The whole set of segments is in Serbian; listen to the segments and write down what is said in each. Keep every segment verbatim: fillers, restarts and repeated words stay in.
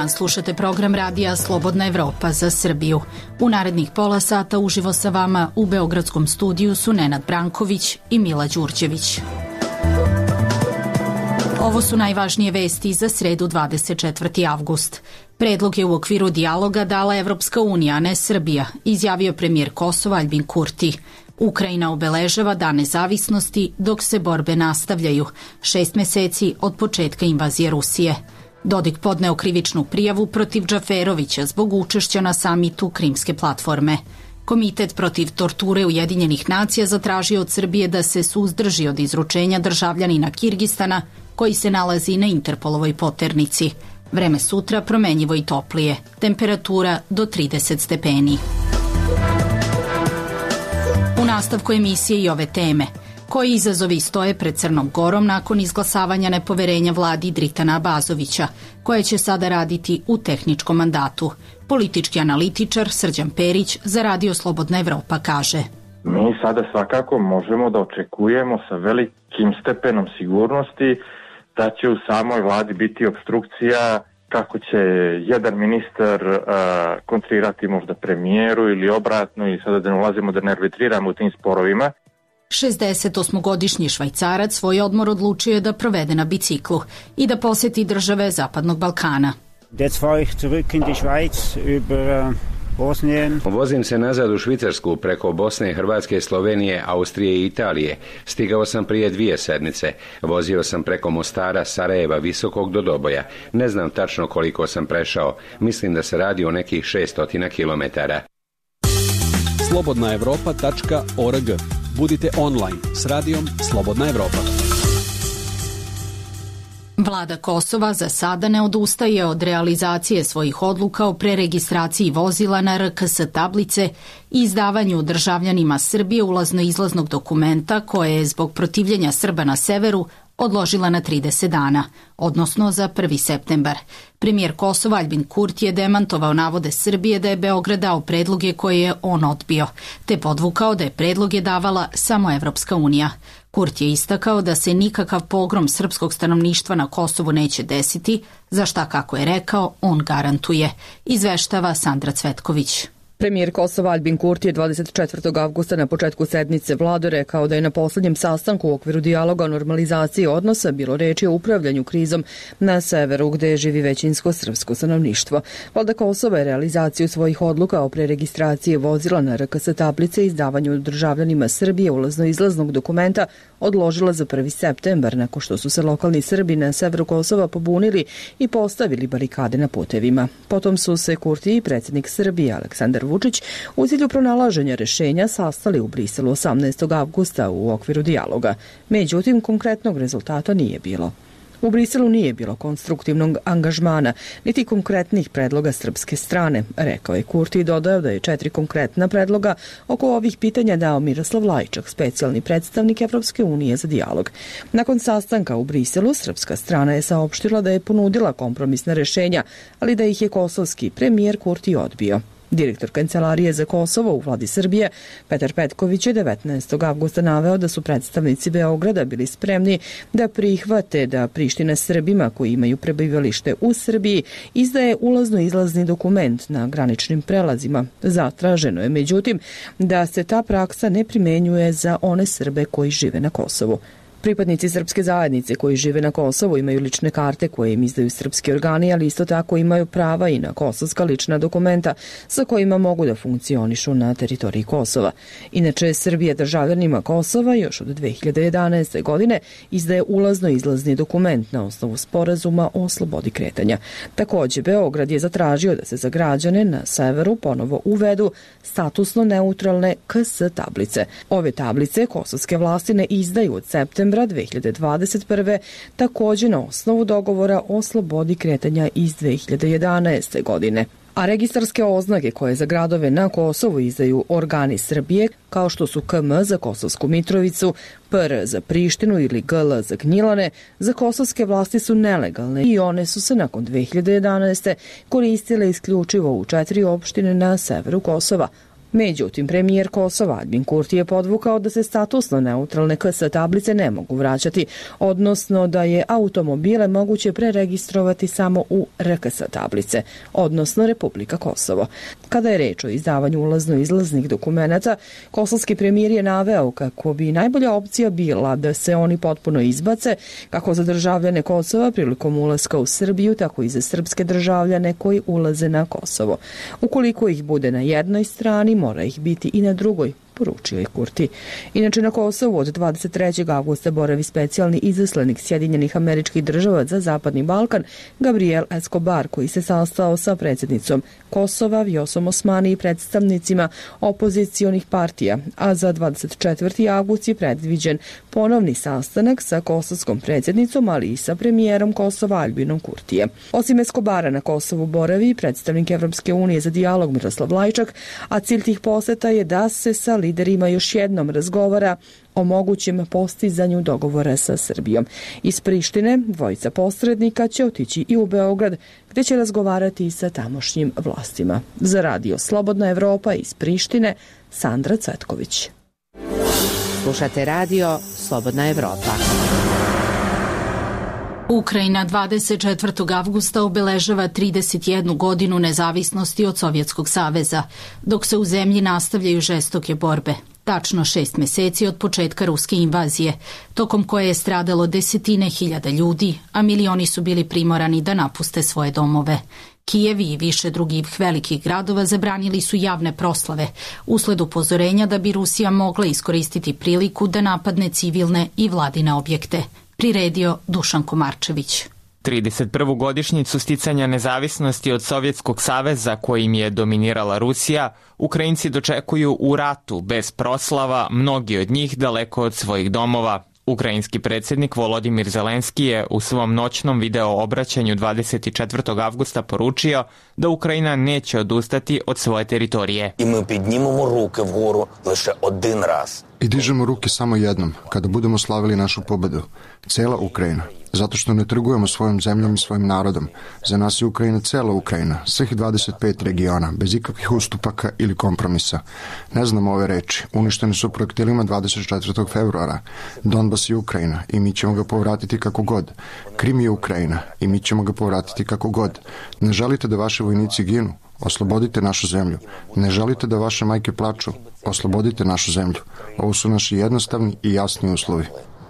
dan, slušate program radija Slobodna Evropa za Srbiju. U narednih pola sata uživo sa vama u beogradskom studiju su Nenad Branković i Mila Đurđević. Ovo su najvažnije vesti za sredu dvadeset četvrti avgust. Predlog je u okviru dijaloga dala Evropska unija, a ne Srbija, izjavio premijer Kosova Aljbin Kurti. Ukrajina obeležava dan nezavisnosti dok se borbe nastavljaju, šest meseci od početka invazije Rusije. Dodik podneo krivičnu prijavu protiv Džaferovića zbog učešća na samitu Krimske platforme. Komitet protiv torture Ujedinjenih nacija zatražio od Srbije da se suzdrži od izručenja državljanina Kirgistana koji se nalazi na Interpolovoj poternici. Vreme sutra promenjivo i toplije, temperatura do trideset stepeni. U nastavku emisije i ove teme. Koji izazovi stoje pred Crnom Gorom nakon izglasavanja nepoverenja vladi Dritana Abazovića, koje će sada raditi u tehničkom mandatu? Politički analitičar Srđan Perić za Radio Slobodna Evropa kaže: Mi sada svakako možemo da očekujemo sa velikim stepenom sigurnosti da će u samoj vladi biti obstrukcija, kako će jedan ministar uh, kontrirati možda premijeru ili obratno, i sada da ne ulazimo da ne arbitriramo u tim sporovima. šezdesetosmogodišnji Švajcarac svoj odmor odlučio je da provede na biciklu i da poseti države Zapadnog Balkana. Vozim se nazad u Švicarsku preko Bosne, Hrvatske, Slovenije, Austrije i Italije. Stigao sam prije dvije sedmice. Vozio sam preko Mostara, Sarajeva, Visokog do Doboja. Ne znam tačno koliko sam prešao. Mislim da se radi o nekih šesto kilometara. slobodna evropa tačka org. Budite online s radijom Slobodna Evropa. Vlada Kosova za sada ne odustaje od realizacije svojih odluka o preregistraciji vozila na R K S tablice i izdavanju državljanima Srbije ulazno-izlaznog dokumenta koje je zbog protivljenja Srba na severu odložila na trideset dana, odnosno za prvi septembar. Premijer Kosova Aljbin Kurti je demantovao navode Srbije da je Beograd dao predloge koje je on odbio, te podvukao da je predloge davala samo Evropska unija. Kurti je istakao da se nikakav pogrom srpskog stanovništva na Kosovu neće desiti, za šta, kako je rekao, on garantuje. Izveštava Sandra Cvetković. Premijer Kosova Aljbin Kurti je dvadeset četvrtog avgusta na početku sednice vlade rekao da je na poslednjem sastanku u okviru dijaloga o normalizaciji odnosa bilo reči o upravljanju krizom na severu gde živi većinsko srpsko stanovništvo. Vlada Kosova je realizaciju svojih odluka o preregistraciji vozila na R K S tablice i izdavanju državljanima Srbije ulazno-izlaznog dokumenta odložila za prvi septembar nakon što su se lokalni Srbi na severu Kosova pobunili i postavili barikade na putevima. Potom su se Kurti i predsjednik Srbije Aleksandar Vučić u cilju pronalaženja rešenja sastali u Briselu osamnaestog avgusta u okviru dijaloga. Međutim, konkretnog rezultata nije bilo. U Briselu nije bilo konstruktivnog angažmana, niti konkretnih predloga srpske strane, rekao je Kurti i dodao da je četiri konkretna predloga oko ovih pitanja dao Miroslav Lajčak, specijalni predstavnik Evropske unije za dijalog. Nakon sastanka u Briselu, srpska strana je saopštila da je ponudila kompromisna rešenja, ali da ih je kosovski premijer Kurti odbio. Direktor Kancelarije za Kosovo u vladi Srbije, Petar Petković, je devetnaestog avgusta naveo da su predstavnici Beograda bili spremni da prihvate da Priština Srbima koji imaju prebivalište u Srbiji izdaje ulazno-izlazni dokument na graničnim prelazima. Zatraženo je, međutim, da se ta praksa ne primenjuje za one Srbe koji žive na Kosovu. Pripadnici srpske zajednice koji žive na Kosovu imaju lične karte koje im izdaju srpski organi, ali isto tako imaju prava i na kosovska lična dokumenta sa kojima mogu da funkcionišu na teritoriji Kosova. Inače, Srbija državljanima Kosova još od dve hiljade jedanaeste. godine izdaje ulazno-izlazni dokument na osnovu sporazuma o slobodi kretanja. Takođe, Beograd je zatražio da se za građane na severu ponovo uvedu statusno neutralne K S tablice. Ove tablice kosovske vlasti ne izdaju od septembra dve hiljade dvadeset prve. takođe na osnovu dogovora o slobodi kretanja iz dve hiljade jedanaeste. godine. A registarske oznake koje za gradove na Kosovu izdaju organi Srbije, kao što su K M za Kosovsku Mitrovicu, P R za Prištinu ili G L za Gnjilane, za kosovske vlasti su nelegalne i one su se nakon dve hiljade jedanaeste. koristile isključivo u četiri opštine na severu Kosova: Međutim, premijer Kosova Aljbin Kurti je podvukao da se statusno neutralne K S tablice ne mogu vraćati, odnosno da je automobile moguće preregistrovati samo u R K S tablice, odnosno Republika Kosovo. Kada je reč o izdavanju ulazno-izlaznih dokumenata, kosovski premijer je naveo kako bi najbolja opcija bila da se oni potpuno izbace, kako za državljane Kosova prilikom ulaska u Srbiju, tako i za srpske državljane koji ulaze na Kosovo. Ukoliko ih bude na jednoj strani, mora ih biti i na drugoj, poručio je Kurti. Inače, na Kosovu od dvadeset trećeg avgusta boravi specijalni izaslanik Sjedinjenih Američkih Država za Zapadni Balkan Gabriel Escobar, koji se sastao sa predsjednicom Kosova Vjosom Osmani i predstavnicima opozicionih partija, a za dvadeset četvrti avgust je predviđen ponovni sastanak sa kosovskom predsjednicom, ali i sa premijerom Kosova Aljbinom Kurtijem. Osim Escobara na Kosovu boravi predstavnik Evropske unije za dijalog Miroslav Lajčak, a cilj tih poseta je da se sa liderima još jednom razgovara o mogućem postizanju dogovora sa Srbijom. Iz Prištine dvojica posrednika će otići i u Beograd, gde će razgovarati i sa tamošnjim vlastima. Za radio Slobodna Evropa iz Prištine, Sandra Cvetković. Slušate radio Slobodna Evropa. Ukrajina dvadeset četvrtog avgusta obeležava trideset jednu godinu nezavisnosti od Sovjetskog saveza, dok se u zemlji nastavljaju žestoke borbe. Tačno šest meseci od početka ruske invazije, tokom koje je stradalo desetine hiljada ljudi, a milioni su bili primorani da napuste svoje domove. Kijev i više drugih velikih gradova zabranili su javne proslave, usled upozorenja da bi Rusija mogla iskoristiti priliku da napadne civilne i vladine objekte. Priredio Dušan Komarčević. trideset prvu godišnjicu sticanja nezavisnosti od Sovjetskog saveza kojim je dominirala Rusija, Ukrajinci dočekuju u ratu, bez proslava, mnogi od njih daleko od svojih domova. Ukrajinski predsjednik Volodimir Zelenski je u svom noćnom video obraćanju dvadeset četvrtog avgusta poručio da Ukrajina neće odustati od svoje teritorije. I mi podnimamo ruke vgoru leše один раз. I dižemo ruke samo jednom, kada budemo slavili našu pobedu. Cela Ukrajina. Zato što ne trgujemo svojom zemljom i svojim narodom. Za nas je Ukrajina cela Ukrajina, svih dvadeset pet regiona, bez ikakvih ustupaka ili kompromisa. Ne znamo ove reči. Uništene su projektilima dvadeset četvrtog februara. Donbas je Ukrajina i mi ćemo ga povratiti kako god. Krim je Ukrajina i mi ćemo ga povratiti kako god. Ne želite da vaši vojnici ginu? Oslobodite našu zemlju. Ne želite da vaše majke plaču? Oslobodite našu zemlju. Ovo su naši jednostavni i jasni uslovi.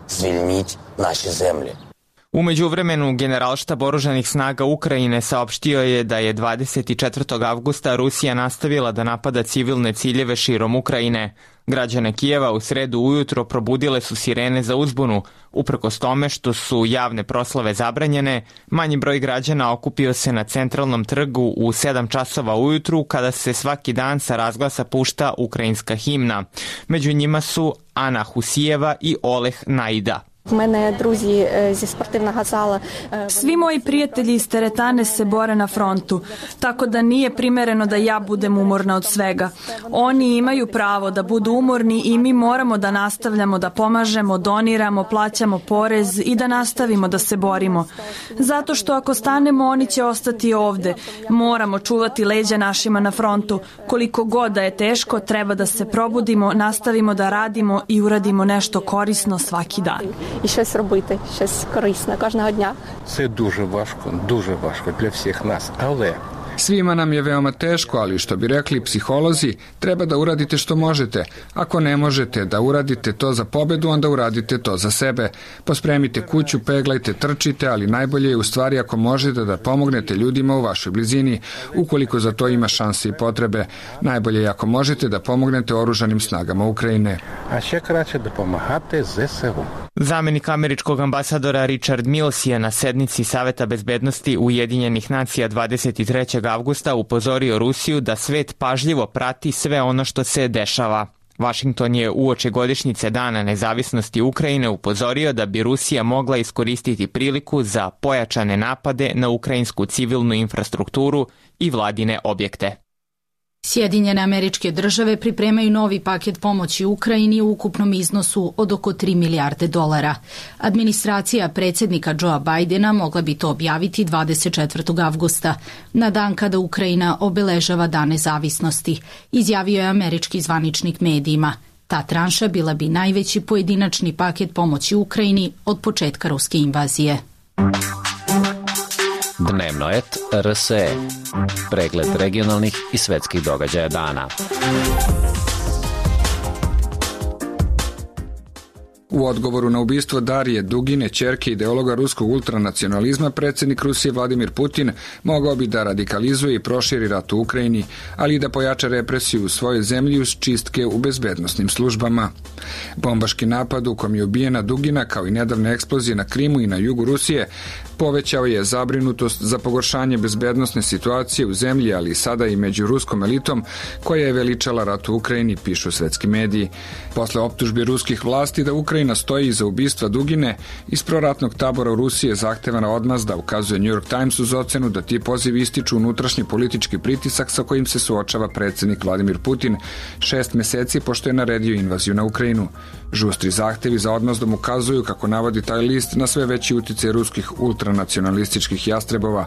Звільніть наші землі. U međuvremenu, Generalštab oružanih snaga Ukrajine saopštio je da je dvadeset četvrtog avgusta Rusija nastavila da napada civilne ciljeve širom Ukrajine. Građane Kijeva u sredu ujutro probudile su sirene za uzbunu. Uprkos tome što su javne proslave zabranjene, manji broj građana okupio se na centralnom trgu u sedam časova ujutru kada se svaki dan sa razglasa pušta ukrajinska himna. Među njima su Ana Husijeva i Oleh Naida. Svi moji prijatelji iz teretane se bore na frontu, tako da nije primereno da ja budem umorna od svega. Oni imaju pravo da budu umorni i mi moramo da nastavljamo da pomažemo, doniramo, plaćamo porez i da nastavimo da se borimo. Zato što ako stanemo, oni će ostati ovde. Moramo čuvati leđa našima na frontu. Koliko god da je teško, treba da se probudimo, nastavimo da radimo i uradimo nešto korisno svaki dan. І щось робити, щось корисне кожного дня. Це дуже важко, дуже важко для всіх нас, але Svima nam je veoma teško, ali što bi rekli psiholozi, treba da uradite što možete. Ako ne možete da uradite to za pobedu, onda uradite to za sebe. Pospremite kuću, peglajte, trčite, ali najbolje je u stvari ako možete da pomognete ljudima u vašoj blizini, ukoliko za to ima šanse i potrebe. Najbolje je ako možete da pomognete oružanim snagama Ukrajine. A ще краще допомагати ЗСУ. Zamenik američkog ambasadora Richard Mills je na sednici Saveta bezbednosti Ujedinjenih nacija dvadeset trećeg avgusta upozorio Rusiju da svet pažljivo prati sve ono što se dešava. Vašington je uoči godišnjice Dana nezavisnosti Ukrajine upozorio da bi Rusija mogla iskoristiti priliku za pojačane napade na ukrajinsku civilnu infrastrukturu i vladine objekte. Sjedinjene Američke Države pripremaju novi paket pomoći Ukrajini u ukupnom iznosu od oko tri milijarde dolara. Administracija predsjednika Joea Bidena mogla bi to objaviti dvadeset četvrtog avgusta, na dan kada Ukrajina obeležava Dan nezavisnosti, izjavio je američki zvaničnik medijima. Ta tranša bila bi najveći pojedinačni paket pomoći Ukrajini od početka ruske invazije. Dnevno et R S E. Pregled regionalnih i svetskih događaja dana. U odgovoru na ubistvo Darije Dugine, ćerke ideologa ruskog ultranacionalizma, predsjednik Rusije Vladimir Putin mogao bi da radikalizuje i proširi rat u Ukrajini, ali i da pojača represiju u svojoj zemlji uz čistke u bezbednosnim službama. Bombaški napad u kom je ubijena Dugina, kao i nedavne eksplozije na Krimu i na jugu Rusije, povećao je zabrinutost za pogoršanje bezbednosne situacije u zemlji, ali sada i među ruskom elitom koja je veličala rat u Ukrajini, pišu svetski mediji. Posle optužbi ruskih vlasti da Ukrajina stoji iza ubistva Dugine, iz proratnog tabora u Rusiji je zahtevana odmazda, ukazuje New York Times uz ocenu da ti pozivi ističu unutrašnji politički pritisak sa kojim se suočava predsjednik Vladimir Putin šest meseci pošto je naredio invaziju na Ukrajinu. Žustri zahtevi za odmazdom ukazuju, kako navodi taj list, na sve veći uticaj ruskih ultranacionalističkih jastrebova,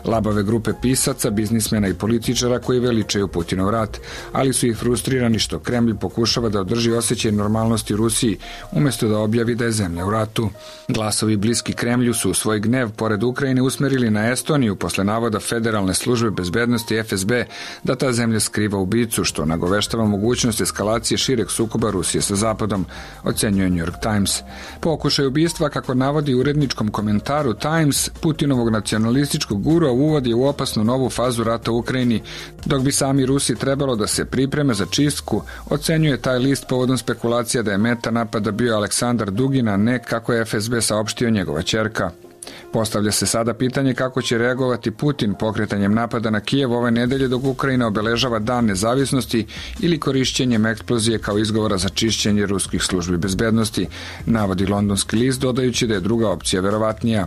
labave grupe pisaca, biznismena i političara koji veličaju Putinov rat, ali su ih frustrirani što Kremlj pokušava da održi osjećaj normalnosti u Rusiji, umjesto da objavi da je zemlja u ratu. Glasovi bliski Kremlju su svoj gnev pored Ukrajine usmerili na Estoniju posle navoda Federalne službe bezbednosti F S B da ta zemlja skriva ubicu, što nagoveštava mogućnost eskalacije šireg sukoba Rusije sa Zapadom, ocenjuje New York Times. Pokušaj ubistva, kako navodi u uredničkom komentaru Times, Putinovog nacionalističkog gurua uvodi u opasnu novu fazu rata u Ukrajini, dok bi sami Rusi trebalo da se pripreme za čistku, ocenjuje taj list povodom spekulacija da je meta napada bio Aleksandar Dugin, a ne, kako je F S B saopštio, njegova ćerka. Postavlja se sada pitanje kako će reagovati Putin pokretanjem napada na Kijev ove nedelje dok Ukrajina obeležava Dan nezavisnosti ili korišćenjem eksplozije kao izgovora za čišćenje ruskih službi bezbednosti, navodi londonski list, dodajući da je druga opcija verovatnija.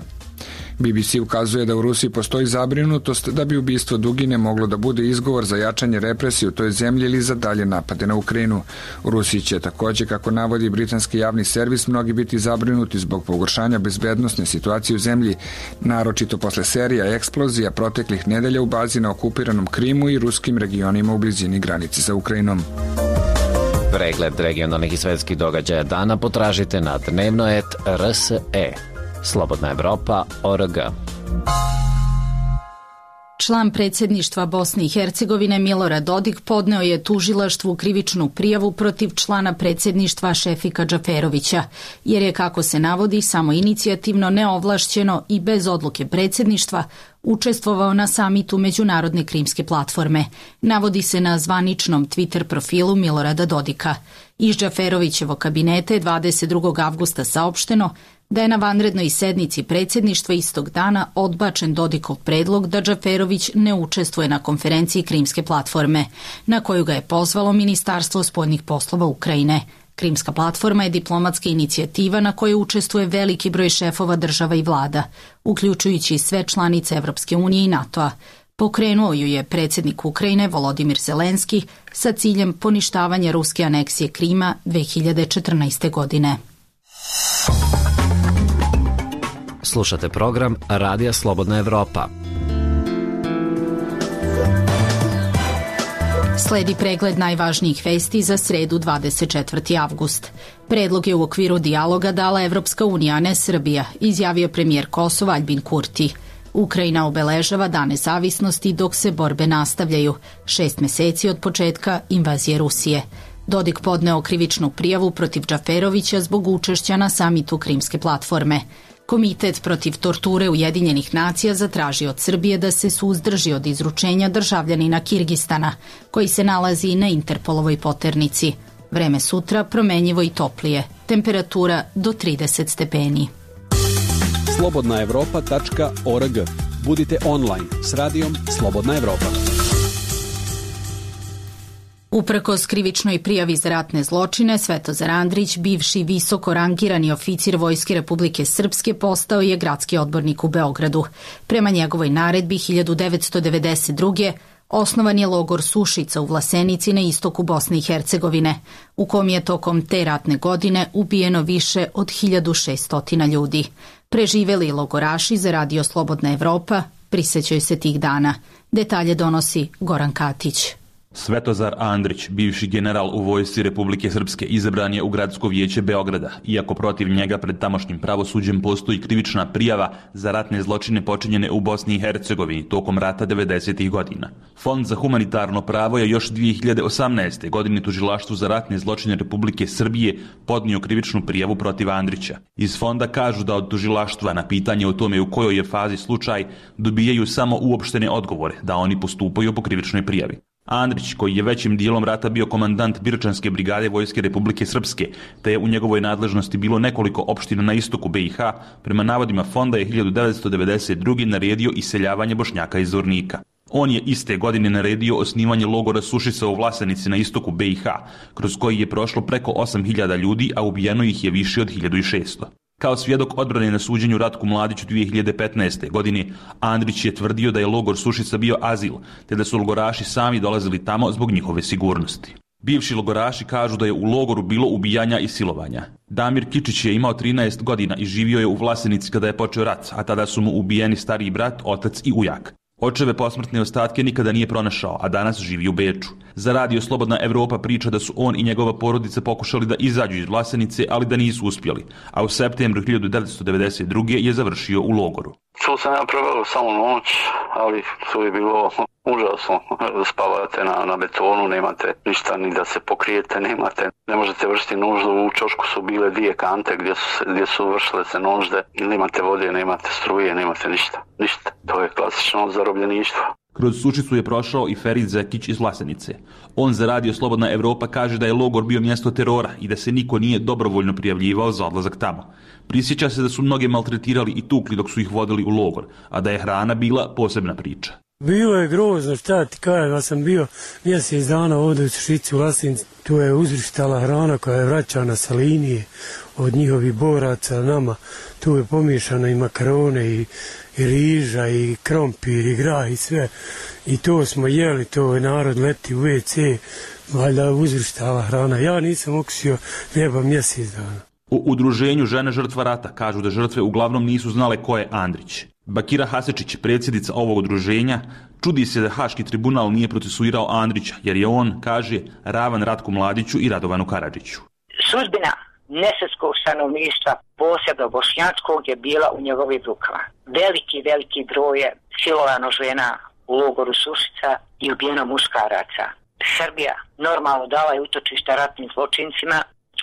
B B C ukazuje da u Rusiji postoji zabrinutost da bi ubistvo Dugine moglo da bude izgovor za jačanje represije u toj zemlji ili za dalje napade na Ukrajinu. U Rusiji će također, kako navodi britanski javni servis, mnogi biti zabrinuti zbog pogoršanja bezbednosne situacije u zemlji, naročito posle serija eksplozija proteklih nedelja u bazi na okupiranom Krimu i ruskim regionima u blizini granice sa Ukrajinom. Pregled regionalnih i svetskih događaja dana potražite na dnevno et R S E. Slobodna Evropa, O R G. Član predsjedništva Bosne i Hercegovine Milorad Dodik podneo je tužilaštvu krivičnu prijavu protiv člana predsjedništva Šefika Džaferovića, jer je, kako se navodi, samo inicijativno, neovlašćeno i bez odluke predsjedništva učestvovao na samitu Međunarodne krimske platforme, navodi se na zvaničnom Twitter profilu Milorada Dodika. Iz Džaferovićevog kabineta je dvadeset drugog avgusta saopšteno da je na vanrednoj sednici predsjedništva istog dana odbačen Dodikov predlog da Džaferović ne učestvuje na konferenciji Krimske platforme, na koju ga je pozvalo Ministarstvo spoljnih poslova Ukrajine. Krimska platforma je diplomatska inicijativa na kojoj učestvuje veliki broj šefova država i vlada, uključujući sve članice Evropske unije i NATO-a. Pokrenuo ju je predsjednik Ukrajine Volodimir Zelenski sa ciljem poništavanja ruske aneksije Krima dve hiljade četrnaeste. godine. Slušate program Radija Slobodna Evropa. Sledi pregled najvažnijih vesti za sredu dvadeset četvrti avgust. Predlog je u okviru dijaloga dala Evropska unija, a ne Srbija, izjavio premijer Kosova Aljbin Kurti. Ukrajina obeležava Dan nezavisnosti dok se borbe nastavljaju, šest meseci od početka invazije Rusije. Dodik podneo krivičnu prijavu protiv Džaferovića zbog učešća na samitu Krimske platforme. Komitet protiv torture Ujedinjenih nacija zatraži od Srbije da se suzdrži od izručenja državljanina Kirgistana, koji se nalazi na Interpolovoj poternici. Vreme sutra promenjivo i toplije, temperatura do trideset stepeni. slobodna evropa tačka org. Budite online s radijom Slobodna Evropa. Uprkos krivičnoj prijavi za ratne zločine, Svetozar Andrić, bivši visoko rangirani oficir Vojske Republike Srpske, postao je gradski odbornik u Beogradu. Prema njegovoj naredbi hiljadu devetsto devedeset druge. Osnovan je logor Sušica u Vlasenici na istoku Bosne i Hercegovine, u kom je tokom te ratne godine ubijeno više od hiljadu šesto ljudi. Preživeli logoraši za Radio Slobodna Evropa prisećaju se tih dana. Detalje donosi Goran Katić. Svetozar Andrić, bivši general u vojsci Republike Srpske, izabran je u Gradsko vijeće Beograda, iako protiv njega pred tamošnjim pravosuđem postoji krivična prijava za ratne zločine počinjene u Bosni i Hercegovini tokom rata devedesetih godina. Fond za humanitarno pravo je još dvije hiljade osamnaeste. godine tužilaštvu za ratne zločine Republike Srbije podnio krivičnu prijavu protiv Andrića. Iz fonda kažu da od tužilaštva na pitanje o tome u kojoj je fazi slučaj dobijaju samo uopštene odgovore, da oni postupaju po krivičnoj prijavi. Andrić, koji je većim dijelom rata bio komandant Birčanske brigade Vojske Republike Srpske, te je u njegovoj nadležnosti bilo nekoliko opština na istoku B i H, prema navodima fonda je hiljadu devetsto devedeset druge. naredio iseljavanje Bošnjaka iz Zvornika. On je iste godine naredio osnivanje logora Sušica u Vlasenici na istoku B i H, kroz koji je prošlo preko osam hiljada ljudi, a ubijeno ih je više od hiljadu šesto. Kao svjedok odbrane na suđenju Ratku Mladiću dvije hiljade petnaeste. godine, Andrić je tvrdio da je logor Sušica bio azil, te da su logoraši sami dolazili tamo zbog njihove sigurnosti. Bivši logoraši kažu da je u logoru bilo ubijanja i silovanja. Damir Kičić je imao trinaest godina i živio je u Vlasenici kada je počeo rat, a tada su mu ubijeni stariji brat, otac i ujak. Očeve posmrtne ostatke nikada nije pronašao, a danas živi u Beču. Za Radio Slobodna Evropa priča da su on i njegova porodica pokušali da izađu iz Vlasenice, ali da nisu uspjeli, a u septembru hiljadu devetsto devedeset druge. je završio u logoru. Tu sam ja proveo samo noć, ali to je bilo užasno. Spavate na, na betonu, nemate ništa ni da se pokrijete, nemate, ne možete vršiti nuždu. U čošku su bile dvije kante gdje su, gdje su vršile se nužde. Nemate vode, nemate struje, nemate ništa. Ništa. To je klasično zarobljeništvo. Kroz Sušicu je prošao i Ferid Zekić iz Vlasenice. On za Radio Slobodna Evropa kaže da je logor bio mjesto terora i da se niko nije dobrovoljno prijavljivao za odlazak tamo. Prisjeća se da su mnoge maltretirali i tukli dok su ih vodili u logor, a da je hrana bila posebna priča. Bilo je grozno, šta ti kažem, ja sam bio mjesec dana ovdje u Sušici u Vlasenici, tu je uzrištala hrana koja je vraćana sa linije od njihovih boraca nama, tu je pomiješana i makarone i, i riža i krompir i grah i sve i to smo jeli, to je narod leti u ve ce, valjda uzrištala hrana, ja nisam okusio hljeba mjesec dana. U udruženju Žene žrtva rata kažu da žrtve uglavnom nisu znale ko je Andrić. Bakira Hasečić, predsjednica ovog udruženja, čudi se da Haški tribunal nije procesuirao Andrića, jer je on, kaže, ravan Ratku Mladiću i Radovanu Karadžiću. Sudbina nesrpskog stanovništva, posebno bošnjačkog, je bila u njegovim rukama. Veliki, veliki broj je silovano žena u logoru Sušica i ubijeno muškaraca. Srbija normalno dala je utočišta ratnim zločincima,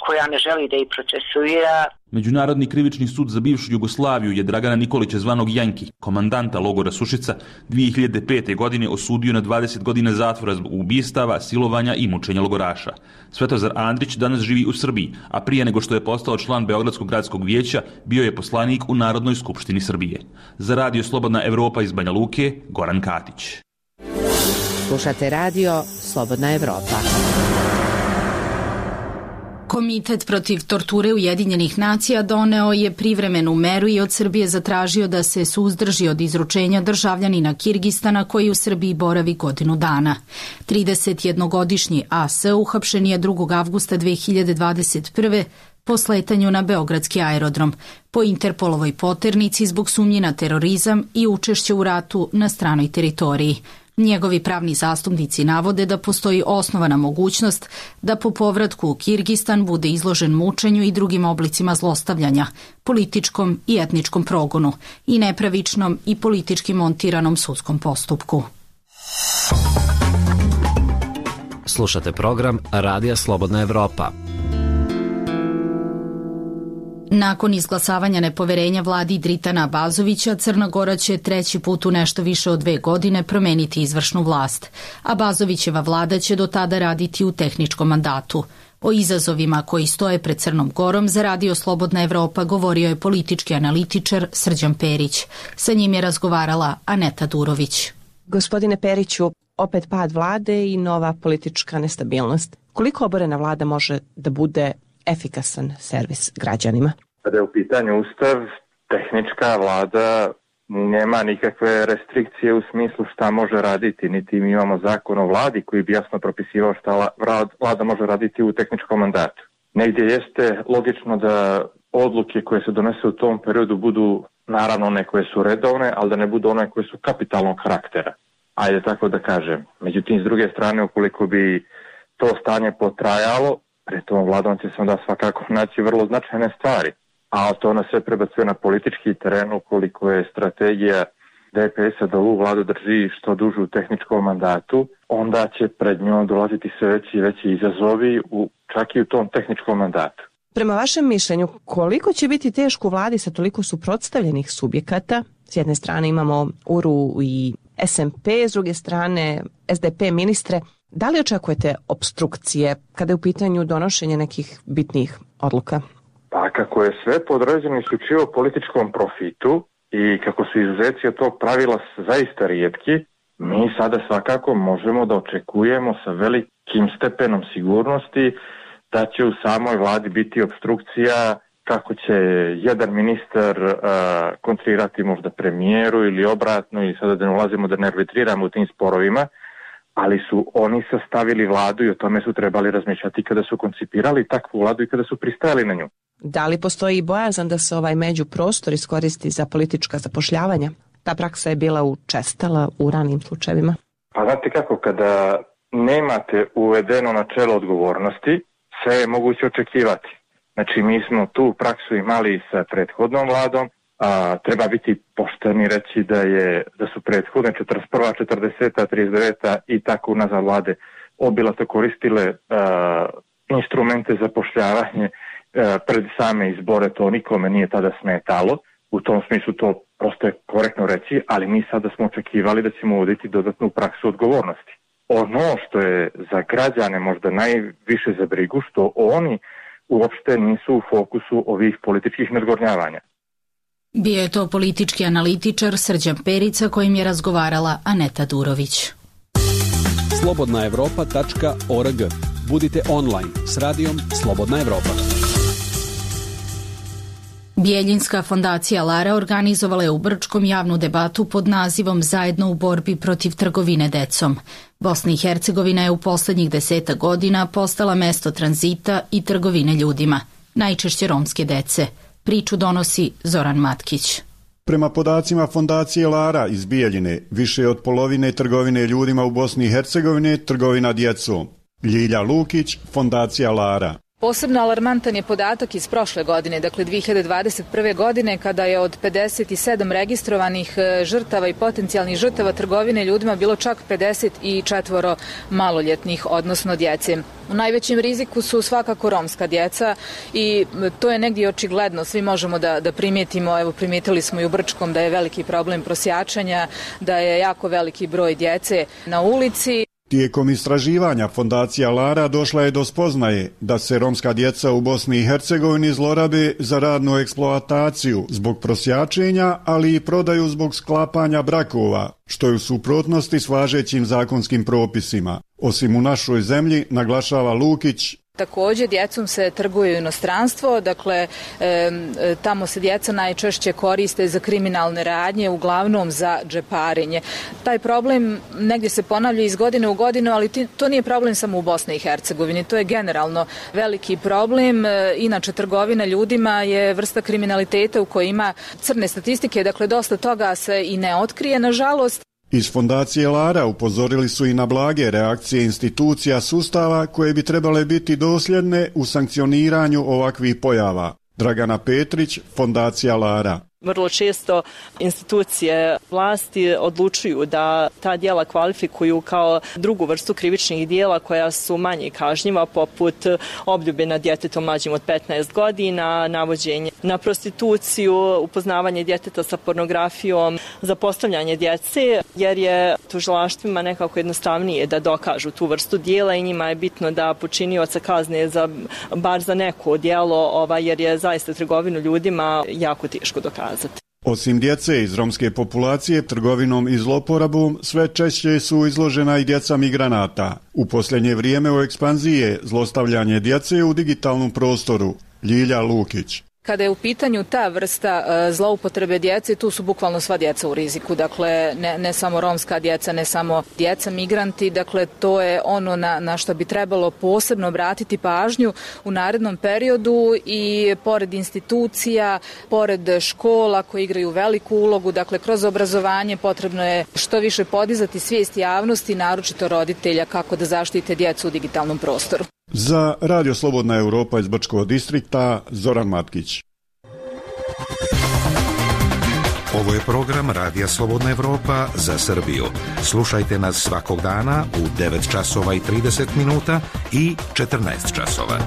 koja ne želi da ih procesuira. Međunarodni krivični sud za bivšu Jugoslaviju je Dragana Nikolića zvanog Janki, komandanta logora Sušica, dvije hiljade pete. godine osudio na dvadeset godina zatvora zbog ubistava, silovanja i mučenja logoraša. Svetozar Andrić danas živi u Srbiji, a prije nego što je postao član Beogradskog gradskog vijeća, bio je poslanik u Narodnoj skupštini Srbije. Za Radio Slobodna Evropa iz Banja Luke, Goran Katić. Slušate Radio Slobodna Evropa. Komitet protiv torture Ujedinjenih nacija doneo je privremenu meru i od Srbije zatražio da se suzdrži od izručenja državljanina Kirgistana koji u Srbiji boravi godinu dana. tridesetjednogodišnji A S uhapšen je drugog avgusta dve hiljade dvadeset prve. po sletanju na beogradski aerodrom, po Interpolovoj poternici zbog sumnje na terorizam i učešće u ratu na stranoj teritoriji. Njegovi pravni zastupnici navode da postoji osnovana mogućnost da po povratku u Kirgistan bude izložen mučenju i drugim oblicima zlostavljanja, političkom i etničkom progonu i nepravičnom i politički montiranom sudskom postupku. Slušate program Radija Slobodna Evropa. Nakon izglasavanja nepoverenja vladi Dritana Abazovića, Crna Gora će treći put u nešto više od dve godine promeniti izvršnu vlast. Abazovićeva vlada će do tada raditi u tehničkom mandatu. O izazovima koji stoje pred Crnom Gorom za Radio Slobodna Evropa govorio je politički analitičar Srđan Perić. Sa njim je razgovarala Aneta Durović. Gospodine Periću, opet pad vlade i nova politička nestabilnost. Koliko oborena vlada može da bude efikasan servis građanima? Kada je u pitanju ustav, tehnička vlada nema nikakve restrikcije u smislu šta može raditi, niti mi imamo zakon o vladi koji bi jasno propisivao šta vlada može raditi u tehničkom mandatu. Negdje jeste logično da odluke koje se donese u tom periodu budu naravno one koje su redovne, ali da ne budu one koje su kapitalnog karaktera. Ajde tako da kažem. Međutim, s druge strane, ukoliko bi to stanje potrajalo, pred tom vladom će se onda svakako naći vrlo značajne stvari. A to nas sve prebacuje na politički teren, ukoliko je strategija D P S-a da ovu vladu drži što duže u tehničkom mandatu, onda će pred njom dolaziti sve veći i veći izazovi u, čak i u tom tehničkom mandatu. Prema vašem mišljenju, koliko će biti teško u vladi sa toliko suprotstavljenih subjekata? S jedne strane imamo U R U i S M P, s druge strane S D P ministre. Da li očekujete obstrukcije kada je u pitanju donošenje nekih bitnih odluka? Pa kako je sve podređeno isključivo političkom profitu i kako su izuzeci od tog pravila zaista rijetki, mi sada svakako možemo da očekujemo sa velikim stepenom sigurnosti da će u samoj vladi biti obstrukcija, kako će jedan ministar uh, kontrirati možda premijeru ili obratno, i sada da ne ulazimo da ne arbitriramo u tim sporovima, ali su oni sastavili vladu i o tome su trebali razmišljati kada su koncipirali takvu vladu i kada su pristajali na nju. Da li postoji bojazan da se ovaj međuprostor iskoristi za politička zapošljavanja? Ta praksa je bila učestala u ranim slučajevima. Pa znate kako, kada nemate uvedeno načelo odgovornosti, sve je moguće očekivati. Znači, mi smo tu praksu imali sa prethodnom vladom, a treba biti pošteni reći da je da su prethodne četrdeset prva, četrdeseta, trideset deveta i tako unazad vlade obilato koristile a, instrumente za zapošljavanje a, pred same izbore, to nikome nije tada smetalo. U tom smislu to prosto je korektno reći, ali mi sada smo očekivali da ćemo uvoditi dodatnu praksu odgovornosti. Ono što je za građane možda najviše za brigu, što oni uopšte nisu u fokusu ovih političkih nadgornjavanja. Bio je to politički analitičar Srđan Perica kojim je razgovarala Aneta Durović. slobodna evropa tačka org. Budite online s radijom Slobodna Evropa. Bijeljinska fondacija Lara organizovala je u Brčkom javnu debatu pod nazivom Zajedno u borbi protiv trgovine decom. Bosna i Hercegovina je u poslednjih deseta godina postala mesto tranzita i trgovine ljudima, najčešće romske dece. Priču donosi Zoran Matkić. Prema podacima fondacije Lara iz Bijeljine, više od polovine trgovine ljudima u Bosni i Hercegovini je trgovina djecom. Ljilja Lukić, fondacija Lara. Posebno alarmantan je podatak iz prošle godine, dakle dvije hiljade dvadeset prve. godine, kada je od pedeset sedam registrovanih žrtava i potencijalnih žrtava trgovine ljudima bilo čak pedeset četiri maloljetnih, odnosno djece. U najvećem riziku su svakako romska djeca i to je negdje očigledno, svi možemo da, da primijetimo, evo primijetili smo i u Brčkom da je veliki problem prosjačanja, da je jako veliki broj djece na ulici. Tijekom istraživanja fondacija Lara došla je do spoznaje da se romska djeca u Bosni i Hercegovini zlorabe za radnu eksploataciju zbog prosjačenja, ali i prodaju zbog sklapanja brakova, što je u suprotnosti s važećim zakonskim propisima. Osim u našoj zemlji, naglašava Lukić, također djecom se trguje u inostranstvo, dakle e, tamo se djeca najčešće koriste za kriminalne radnje, uglavnom za džeparenje. Taj problem negdje se ponavlja iz godine u godinu, ali ti, to nije problem samo u Bosni i Hercegovini, to je generalno veliki problem. E, inače, trgovina ljudima je vrsta kriminaliteta u kojoj ima crne statistike, dakle dosta toga se i ne otkrije, nažalost. Iz fondacije Lara upozorili su i na blage reakcije institucija sustava koje bi trebale biti dosljedne u sankcioniranju ovakvih pojava. Dragana Petrić, fondacija Lara. Vrlo često institucije vlasti odlučuju da ta djela kvalifikuju kao drugu vrstu krivičnih djela koja su manje kažnjiva, poput obljube nad djetetom mlađim od petnaest godina, navođenje na prostituciju, upoznavanje djeteta sa pornografijom, zapostavljanje djece, jer je tužilaštvima nekako jednostavnije da dokažu tu vrstu djela i njima je bitno da počinioca kazne za, bar za neko djelo, ova, jer je zaista trgovinu ljudima jako teško dokazati. Osim djece iz romske populacije, trgovinom i zloporabom sve češće su izložena i djeca migranata. U posljednje vrijeme u ekspanziji je zlostavljanje djece u digitalnom prostoru. Ljilja Lukić. kada je u pitanju ta vrsta zloupotrebe djece, tu su bukvalno sva djeca u riziku, dakle ne, ne samo romska djeca, ne samo djeca migranti, dakle to je ono na, na što bi trebalo posebno obratiti pažnju u narednom periodu i pored institucija, pored škola koje igraju veliku ulogu, dakle kroz obrazovanje potrebno je što više podizati svijest javnosti, naročito roditelja, kako da zaštite djecu u digitalnom prostoru. Za Radio Slobodna Evropa iz Brčkog distrikta, Zoran Matkić. Ovo je program Radija Slobodna Evropa za Srbiju. Slušajte nas svakog dana u devet časova i trideset minuta i četrnaest časova.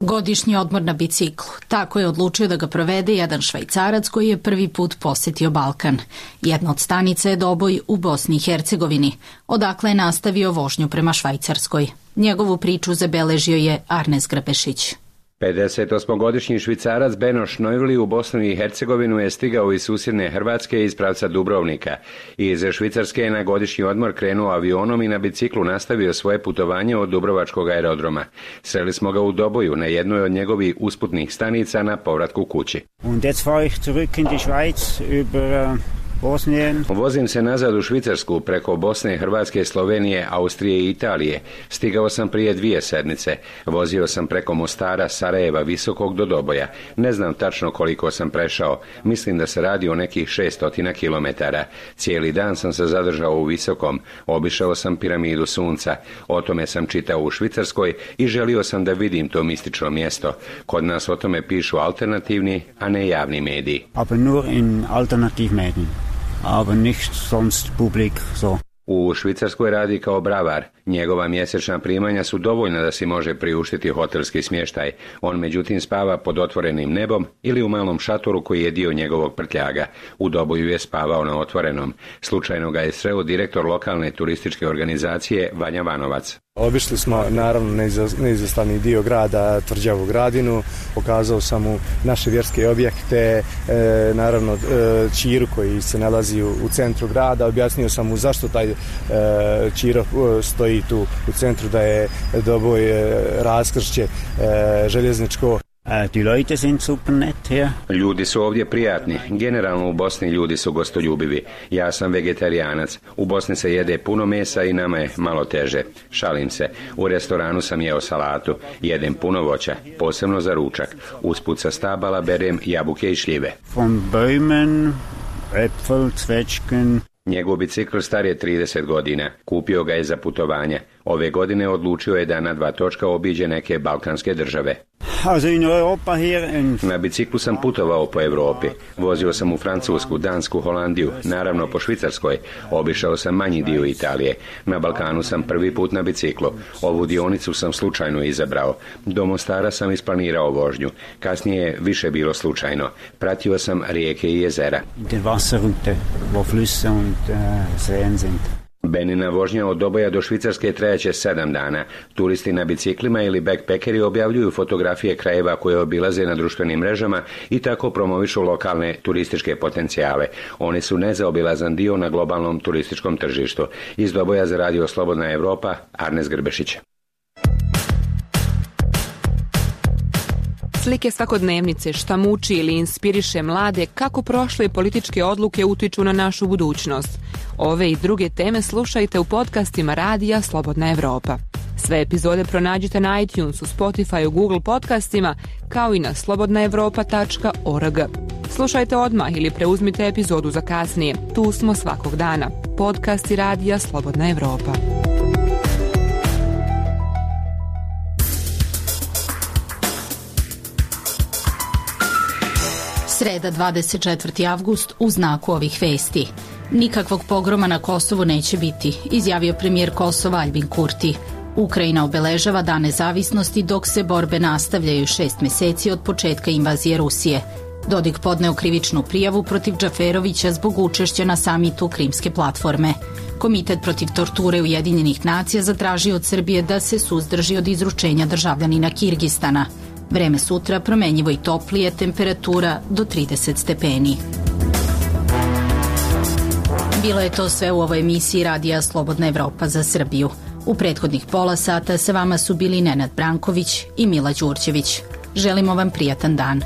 Godišnji odmor na biciklu. Tako je odlučio da ga provede jedan Švajcarac koji je prvi put posjetio Balkan. Jedna od stanica je Doboj u Bosni i Hercegovini, odakle je nastavio vožnju prema Švajcarskoj. Njegovu priču zabeležio je Arnes Grbešić. pedesetosmogodišnji Švicarac Beno Šnojvli u Bosnu i Hercegovinu je stigao iz susjedne Hrvatske iz pravca Dubrovnika. Iz Švicarske je na godišnji odmor krenuo avionom i na biciklu nastavio svoje putovanje od Dubrovačkog aerodroma. Sreli smo ga u Doboju na jednoj od njegovih usputnih stanica na povratku kući. Und jetzt fahre ich zurück in die Schweiz über Bosnien. Vozim se nazad u Švicarsku preko Bosne, Hrvatske, Slovenije, Austrije i Italije. Stigao sam prije dvije sedmice. Vozio sam preko Mostara, Sarajeva, Visokog do Doboja. Ne znam tačno koliko sam prešao. Mislim da se radi o nekih šeststotina kilometara. Cijeli dan sam se zadržao u Visokom. Obišao sam piramidu Sunca. O tome sam čitao u Švicarskoj i želio sam da vidim to mistično mjesto. Kod nas o tome pišu alternativni, a ne javni mediji. Aber nur in Alternativmedien. Aber nicht sonst publik so. U Švicarskoj radi kao bravar. Njegova mjesečna primanja su dovoljna da si može priuštiti hotelski smještaj. On međutim spava pod otvorenim nebom ili u malom šatoru koji je dio njegovog prtljaga. U Doboju je spavao na otvorenom. Slučajno ga je sreo direktor lokalne turističke organizacije Vanja Vanovac. Obišli smo naravno neizostavni dio grada, Tvrđavu Gradinu, pokazao sam mu naše vjerske objekte, e, naravno e, Čiru koji se nalazi u, u centru grada, objasnio sam mu zašto taj e, Čiro stoji tu u centru, da je Doboj e, raskršće e, željezničko. Die Leute sind super nett hier. Ljudi su ovdje prijatni. Generalno u Bosni ljudi su gostoljubivi. Ja sam vegetarijanac. U Bosni se jede puno mesa i nama je malo teže. Šalim se. U restoranu sam jeo salatu. Jedem puno voća, posebno za ručak. Usput sa stabala berem jabuke i šljive. Von Bäumen, Äpfel, Zwetschgen. Njegov bicikl star je trideset godina. Kupio ga je za putovanja. Ove godine odlučio je da na dva točka obiđe neke balkanske države. Na biciklu sam putovao po Europi. Vozio sam u Francusku, Dansku, Holandiju, naravno po Švicarskoj. Obišao sam manji dio Italije. Na Balkanu sam prvi put na biciklu. Ovu dionicu sam slučajno izabrao. Do Mostara sam isplanirao vožnju. Kasnije je više bilo slučajno. Pratio sam rijeke i jezera. Benina vožnja od Doboja do Švicarske trajaće sedam dana. Turisti na biciklima ili backpackeri objavljuju fotografije krajeva koje obilaze na društvenim mrežama i tako promovišu lokalne turističke potencijale. Oni su nezaobilazan dio na globalnom turističkom tržištu. Iz Doboja za Radio Slobodna Evropa, Arnes Grbešić. Slike svakodnevnice, šta muči ili inspiriše mlade, kako prošle političke odluke utiču na našu budućnost. Ove i druge teme slušajte u podcastima Radija Slobodna Evropa. Sve epizode pronađite na iTunesu, Spotify, Google podcastima, kao i na slobodna evropa tačka org. Slušajte odmah ili preuzmite epizodu za kasnije. Tu smo svakog dana. Podcasti Radija Slobodna Evropa. Sreda dvadeset četvrti avgust u znaku ovih vesti. Nikakvog pogroma na Kosovu neće biti, izjavio premijer Kosova Aljbin Kurti. Ukrajina obeležava Dan nezavisnosti dok se borbe nastavljaju šest meseci od početka invazije Rusije. Dodik podneo krivičnu prijavu protiv Džaferovića zbog učešća na samitu Krimske platforme. Komitet protiv torture Ujedinjenih nacija zatražio od Srbije da se suzdrži od izručenja državljanina Kirgistana. Vreme sutra promenjivo i toplije, temperatura do trideset stepeni. Bilo je to sve u ovoj emisiji Radija Slobodna Evropa za Srbiju. U prethodnih pola sata sa vama su bili Nenad Branković i Mila Đurđević. Želimo vam prijatan dan.